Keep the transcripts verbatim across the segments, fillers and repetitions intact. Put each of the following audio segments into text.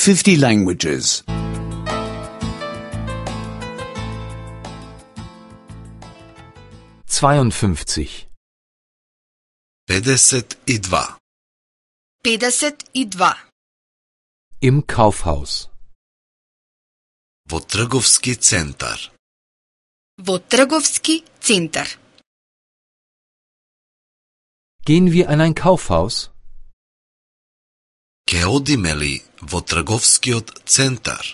fifty languages. zweiundfünfzig. педесет и два. педесет и два. Im Kaufhaus. Во трговски центар. Во трговски центар. Gehen wir in ein Kaufhaus? Ке одиме ли во трговскиот центар?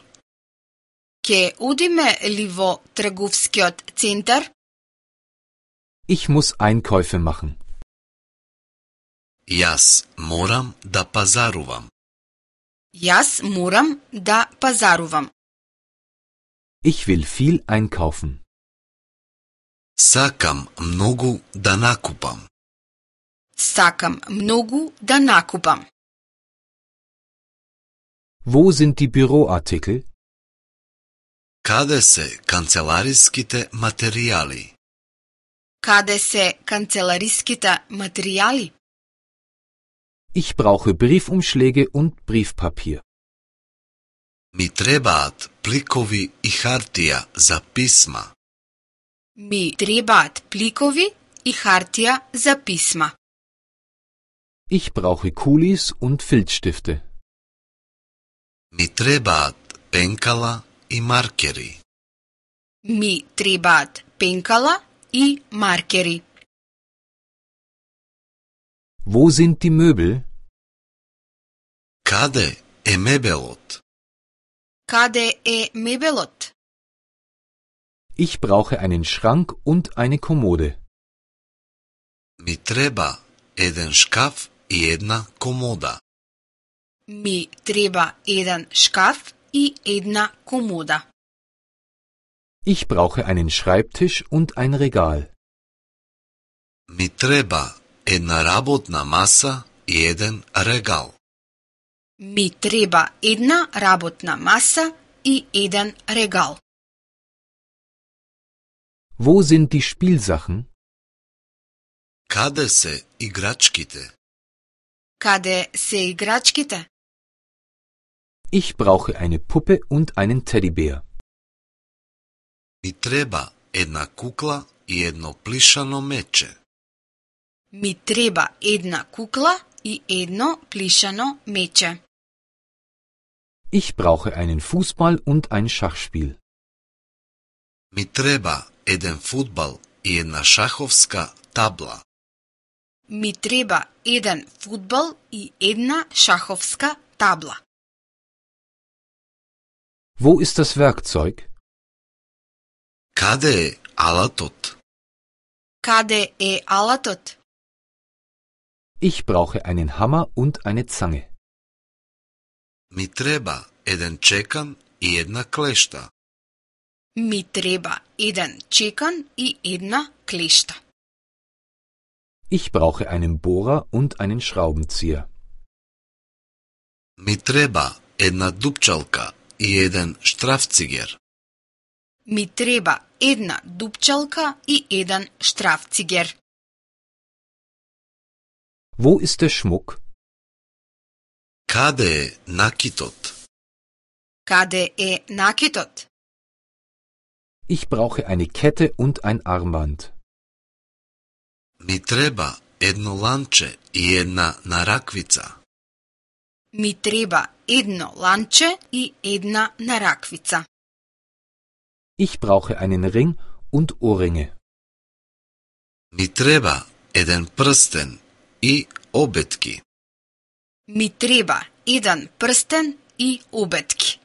Ке одиме ли во трговскиот центар? Ich muss Einkäufe machen. Јас морам да пазарувам. Јас морам да пазарувам. Ich will viel einkaufen. Сакам многу да накупам. Сакам многу да накупам. Wo sind die Büroartikel? Каде се канцелариските материјали? Каде се канцелариските материјали? Ich brauche Briefumschläge und Briefpapier. Ми требаат пликови и хартија за писма. Ми требаат пликови и хартија за писма. Ich brauche Kulis und Filzstifte. Ми требаат пенкала и маркери. Ми требаат пенкала и маркери. Wo sind die Möbel? Каде е мебелот? Каде е мебелот? Ich brauche einen Schrank und eine Kommode. Ми треба еден шкаф и една комода. Ми треба еден шкаф и една комода. Ich brauche einen Schreibtisch und ein Regal. Ми треба една работна маса и еден регал. Ми треба една работна маса и еден регал. Wo sind die Spielsachen? Каде се играчките? Каде се играчките? Ich brauche eine Puppe und einen Teddybär. Ми треба една кукла и едно плишано мече. Ми треба една кукла и едно плишано мече. Ich brauche einen Fußball und ein Schachspiel. Ми треба еден фудбал и една шаховска табла. Ми треба еден фудбал и една шаховска табла. Wo ist das Werkzeug? Каде е алатот? Каде е алатот? Ich brauche einen Hammer und eine Zange. Ми треба еден чекан и една клешта. Ми треба еден чекан и една клешта. Ich brauche einen Bohrer und einen Schraubenzieher. Ми треба една дупчалка и еден штрафцигер. Ми треба една дупчалка и еден штрафцигер. Wo ist der Schmuck? Каде е накитот? Каде е накитот? Ich brauche eine Kette und ein Armband. Ми треба едно ланче и една нараквица. Ми треба едно ланче и една нараквица. Ich brauche einen Ring und Ohrringe. Ми треба еден прстен и обетки. Ми треба еден прстен и обетки.